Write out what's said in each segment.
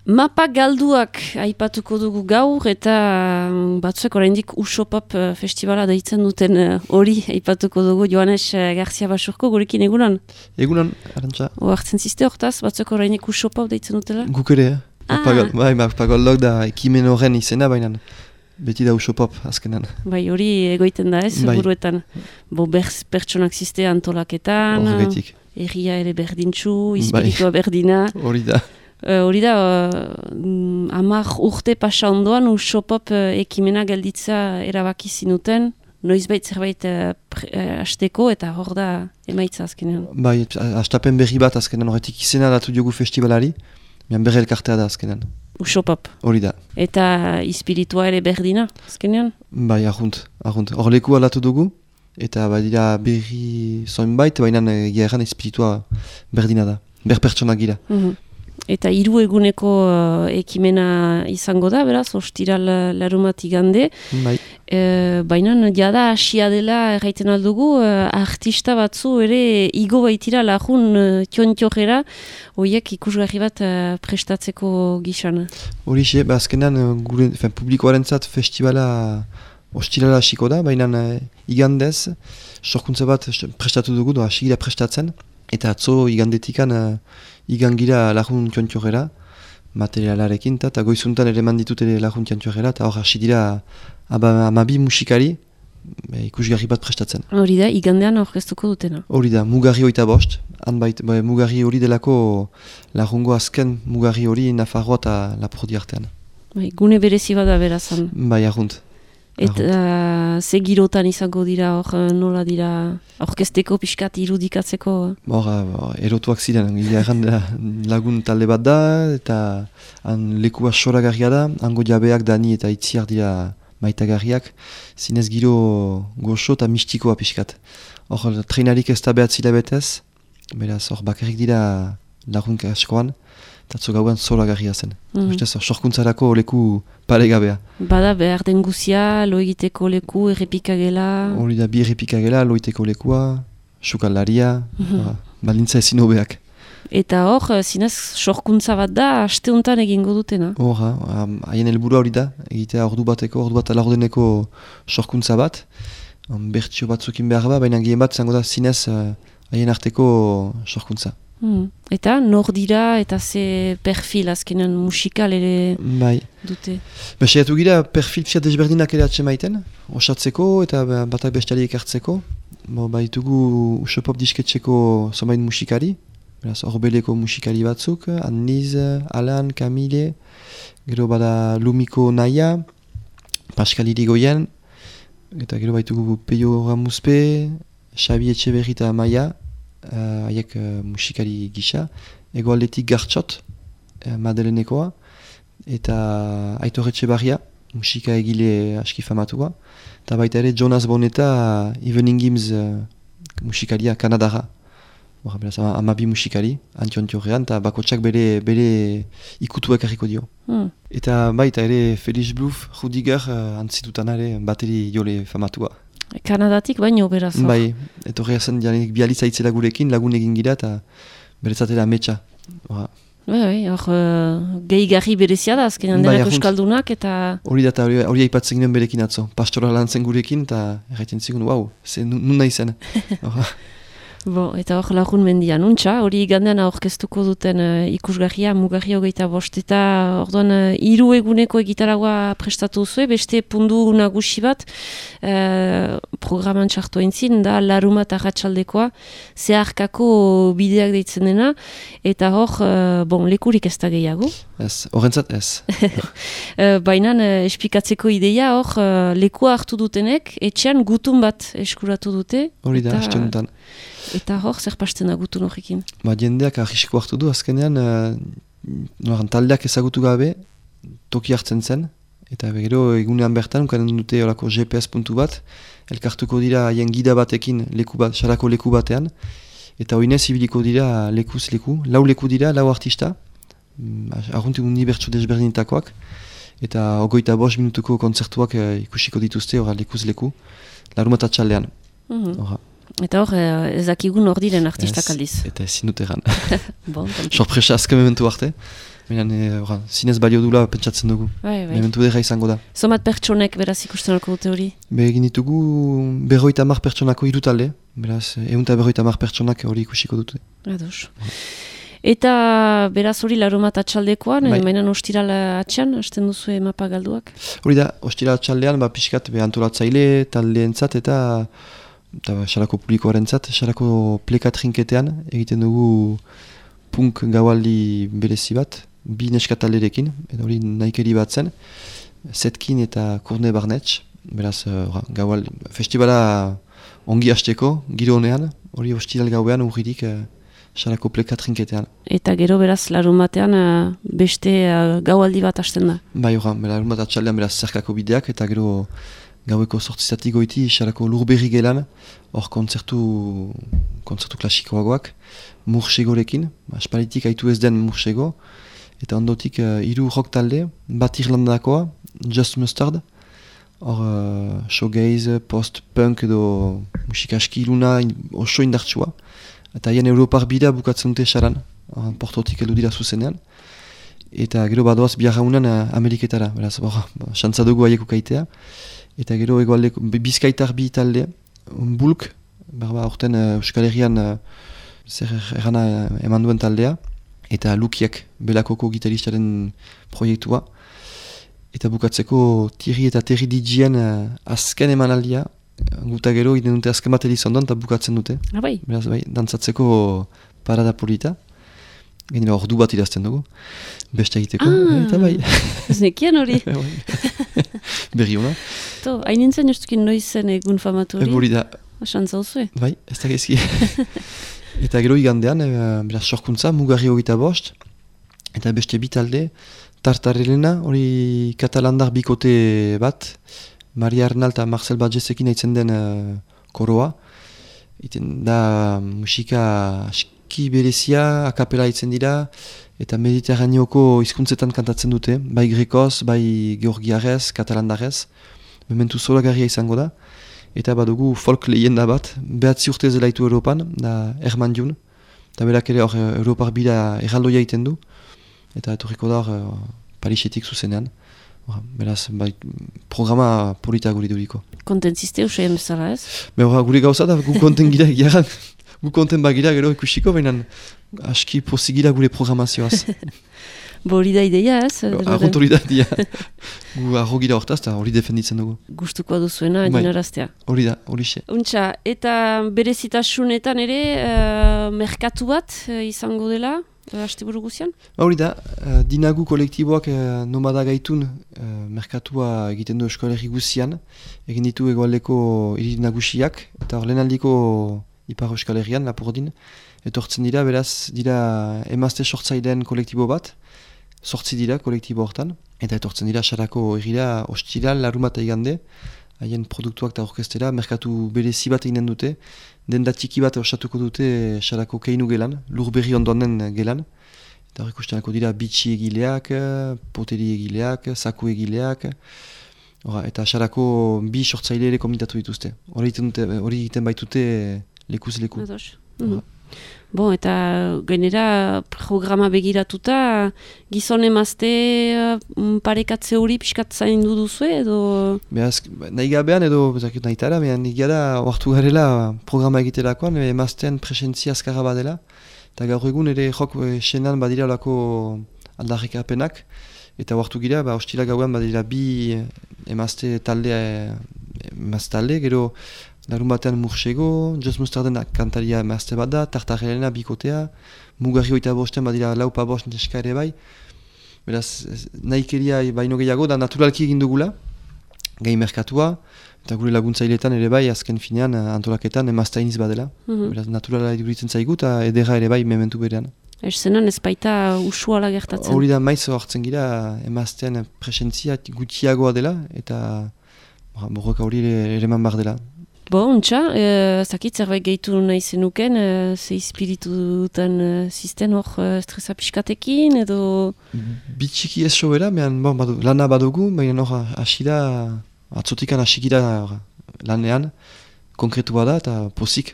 Mapa galduak aipatuko dugu gaur eta batzuek oraindik Usopop festivala deitzen duten hori aipatuko dugu. Joanes Garcia Basurko gurekin egunan? Egunan, Arantxa. Oartzen ziste hortaz, batzuek oraindik Usopop deitzen dutela? Guk ere, Mapagaldok da ekimen horren izena, baina beti da Usopop azkenan. Bai, hori egoiten da ez, buruetan. Pertsonak ziste antolaketan, erria ere berdintxu, izpiritua berdina. Hori da. Hori da, 10 urte pasa ondoan Usopop ekimena gelditza erabaki zinuten, noizbait zerbait hasteko eta hor da emaitza azkenean. Bai, hastapen berri bat azkenan horretik izena datu diogu festivalari, berri elkartea da azkenan. Usopop. Hori da. Eta espiritua ere berdina azkenean? Bai, ahunt. Hor leku alatu dugu, eta badira berri zoinbait, baina geran espiritua berdina da, pertsonak gira. Eta 3 eguneko ekimena izango da, beraz, ostiral larumat igande. Bai. Baina jada hasia dela erraiten aldugu, artista batzu ere igo baitira lagun tiontiorera, horiek ikusgarri bat prestatzeko gizan. Horixe, azkenan publikoaren zat festivala ostirala hasiko da, baina igandez, sorkuntza bat prestatu dugu, hasi gira prestatzen, eta atzo igandetikan igangira lagun tiontiorera, materialarekin, eta goizuntan ere manditut ere lagun tiontiorera, eta hor hasi dira 12 musikari ikusgarri bat prestatzen. Hori da, igandean aurkeztuko dutena? Hori da, mugarri 25, mugarri hori delako lagungo azken mugarri hori Nafarroa eta Lapurdi artean. Gune berezi bada berazan? Bai, ahunt. Eta ze girotan izango dira hor, nola dira aurkezteko pixkat irudikatzeko? Erotuak ziren, lagun talde bat da, eta lekua soragarria da, hango jabeak Dani eta Itziar dira maitagarriak, zinez giro goxo eta mistikoa pixkat. Hor, treinarik ez da behatzila betez, beraz, hor bakarrik dira lagun askoan, eta gauan zoragarria zen. Sorkuntzarako leku paregabea. Bada behar den guzia, lo egiteko leku, errepikagela? Hori da, bi errepikagela, lo egiteko lekua, sukaldaria, balintza ezin hobeak. Eta hor, zinez, sorkuntza bat da, asteuntan egingo dutena? Hor, haien helburua hori da, egitea ordu bat laurdeneko sorkuntza bat, bertsio batzukin behar ba, baina gehen bat zango da zinez haien arteko sorkuntza. Eta nor dira eta ze perfil azkenan musikal ere dute? Saiatu gira perfil fiat desberdinak ere atsemaiten, osatzeko eta batak bestiali ekartzeko. Baitugu Usopop disketxeko zomain musikari, Orbeleko musikari batzuk, Anniz, Alan, Camille, gero bada Lumiko Naia, Pascal Irigoyen, eta gero baitugu Peio Ramuzpe, Xabi Etxeberri eta Maia, haiek musikari gisa, egoaldetik Gartxot, Madelenekoa, eta Aitor Etxebarria, musika egile aski famatua, eta baita ere Jonas Boneta, Evening Games musikaria Kanadara. 12 musikari, antiontiorrean, eta bakotsak bere ikutuak harriko dio. Eta baita ere Felix Bluff, Rudiger, antzitutan ere bateri jole famatua. Kanadatik baino beraz. Bai, etorria zen bialitza itzela gurekin, lagun egin gira eta beretzatela ametsa. Bai, hor gehigarri berezia da, azkenean denak euskaldunak eta... Hori da eta hori aipatzen ginen berekin atzo, pastora lan zen gurekin eta erraiten zigun, nun nahi zen. Eta hor lagun mendia nuntza, hori igandean aurkeztuko duten ikusgarria, mugarri 25 eta orduan 3 eguneko egitaragoa prestatu zuen, beste pundu nagusi bat programan txartu entzin, da larumat arratsaldekoa, zeharkako bideak deitzen dena, eta hor, lekurik ez da gehiago. Ez, horrentzat ez. Baina esplikatzeko ideia hor, lekua hartu dutenek, etxean gutun bat eskuratu dute. Hori da, hasteuntan. Eta hor, zer pasten da gutun horrekin? Jendeak ahisko hartu du, azkenean, taldeak ezagutu gabe, toki hartzen zen, eta gero egunean bertan, ukaren dute olako GPS puntu bat, elkartuko dira haien gida batekin, sarako leku batean, eta hoinez ibiliko dira lekuz leku, 4 leku dira, 4 artista, arruntik unibertsu desberdinetakoak, eta 25 minutuko kontzertuak ikusiko dituzte, lekuz leku, larumat atxaldean. Eta hor, ez dakigun hor diren artistak aldiz. Eta ezin dut egan. Bon, Sorpresa azken mementu arte. Baina, zinez balio dula pentsatzen dugu. Bai. Mementu dira izango da. Zomat pertsonek beraz ikusten alko dute hori? Egin ditugu 50 pertsonako 3 talde. Beraz, 150 pertsonak hori ikusiko dute. Ados. Eta beraz hori laromat atxaldekoan, Bai. mainan ostiral atxan, hasten duzu mapa galduak? Hori da, ostira atxaldean, pixkat antolatzaile, taldeentzat eta xarako publikoaren zat, xarako pleka trinketean egiten dugu punk gaualdi berezi bat, 2 neskatalderekin, eta hori nahikeri bat zen, Zetkin eta Kurne Barnetx, beraz gaualdi, festivala ongi hasteko, giro honean, hori ostiral gauean urririk xarako pleka trinketean. Eta gero beraz larumatean beste gaualdi bat hasten da? Bai, larumat atxaldean beraz zerkako bideak, eta gero gaueko 8 goiti xarako Lurberri gelan, hor kontzertu klasikoagoak, Mursegorekin, espalitik haitu ez den Mursego, eta ondotik 3 rock talde, bat Irlandakoa, Just Mustard, hor showgaze, post-punk edo musika aski iluna oso indartsua, eta haien Europar bida bukatzen dute xaran, portotik heldu dira zuzenean, eta gero badoaz biarraunan Ameriketara, beraz, xantza dugu haiek ukaitea, eta gero egoaldeko Bizkaitar bi talde, Bulk, orten Euskal Herrian zer errana eman duen taldea, eta Lukiak, Belakoko gitaristaren proiektua, eta bukatzeko Thierry eta Terry DJen azken emanaldia, guta gero iden dute azken bat edizondoan eta bukatzen dute. Bai. Beraz, bai, dantzatzeko parada polita. Gainera ordu bat idazten dugu, beste egiteko, eta bai. Ez nekien hori. Berri hona. Hain nintzen justukin noiz zen egun famatu hori? Hori da. Xantza hozue? Bai, ez da gezki. Eta gero igandean, beraz sorkuntza, Mugarri 25, eta beste bitalde, Tartarelena, hori katalandar bikote bat, Maria Arnal eta Marcel Badjezekin haitzen den koroa. Iten da musika aski berezia, akapela haitzen dira, eta mediterraneoko hizkuntzetan kantatzen dute, bai grekoz, bai georgiarez, katalandarez. Mementu zoragarria izango da. Eta badugu folk lehenda bat, 9 urte zelaitu Europan, da Herman Dune. Eta berak ere hor Europar bida erraldoia egiten du. Eta etorriko da hor Parisetik zuzenean. Beraz, programa polita guri duriko. Kontentziste usaien bezala ez? Gure gauza da, gu konten gira egiaran. Gu konten bagira gero ikusiko, baina aski pozigira gure programazioaz. Hori da ideia ez? Arront hori da idea. Gu arro gira hortaz eta hori defenditzen dugu. Gustukoa duzuena, dinaraztea. Hori da, hori xe. Untxa, eta berezitasunetan ere, merkatu bat izango dela, asteburu guzian? Hori da, dinagu kolektiboak nomada gaitun merkatua egiten du Euskal Herri guzian, egin ditu egoaldeko hiri nagusiak, eta hor lehenaldiko Ipar Euskal Herrian, Lapurdin, etortzen dira, beraz, dira emazte sortzaileen kolektibo bat, 8 dira kolektibo hortan, eta etortzen dira xarako egira ostiral, larumata igande, haien produktuak eta orkestera, merkatu berezi bat eginen dute, denda txiki bat osatuko dute xarako keinu gelan, Lurberri ondoan den gelan, eta hor ikustenako dira bitxi egileak, poteri egileak, saku egileak, eta xarako bi sortzaile ere komitatu dituzte. Hori egiten baitute lekuz leku. Bon, eta gainera programa begiratuta, gizon emazte parekatze hori pixkat zaindu duzu edo? Beaz, nahi gabean edo nahi tara, nahi gara oartu garela programa egiterakoan, emaztean presentzia azkarra badela, eta gaur egun ere jok senan badira olako aldarrikapenak, eta oartu gira, ostila gauean badira bi emazte talde, gero larun batean Mursego, Just Mustarden kantaria emazte bat da, Tartarelena bikotea, Mugarri 25 badira laupa bost neska ere bai. Beraz, nahikeria baino gehiago da naturalki egin dugula, gai merkatua, eta gure laguntzaileetan ere bai, azken finean antolaketan emaztainiz badela. Beraz, naturala eduritzen zaigu eta edera ere bai mementu berean. Zenan ez baita usuala gertatzen? Hori da maiz hartzen gira emaztean presentzia gutxiagoa dela, eta borroka hori ere eman bar dela. Untxa, zakit zerbait gehitu nahi zenuken, ze espiritu duten zisten hor estresa pixkatekin edo? Bitxiki ez sobera, lana badugu, baina hor asida, atzotikan asikira lanean, konkretua da, eta pozik,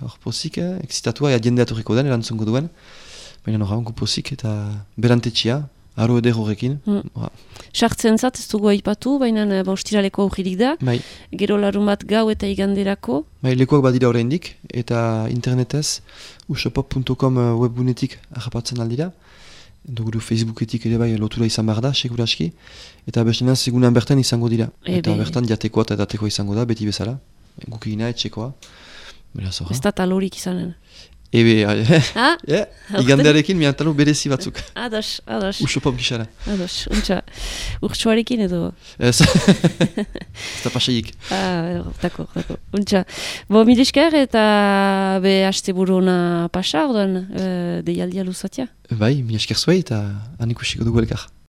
excitatua, ea jendea torriko den, erantzungo duen. Baina hor, gu pozik, eta berantetxia, aro eder horrekin. Sartzen zat, ez dugu aipatu, baina ostiraleko aurririk da. Bai. Gero larun bat gau eta iganderako. Bai, lekuak badira oraindik, eta internetez, usopop.com webgunetik harrapatzen aldira. Duguru Facebooketik ere bai lotura izan behar da, seguraski. Eta bestena segunan bertan izango dira. Eta bertan jatekoa eta edatekoa izango da, beti bezala. Guk egina, etxekoa. Ez da talorik izanen. Ebe, igandearekin mian talo berezi batzuk. Ados. Usopop gixara. Ados, untxa. Urtsuarekin edo? Ez da pasaik. Dako. Untxa. Bo, milesker eta haste buruna pasa, orduan, deialdia luzatia? Bai, milesker zuei eta han ikusiko dugu elkar.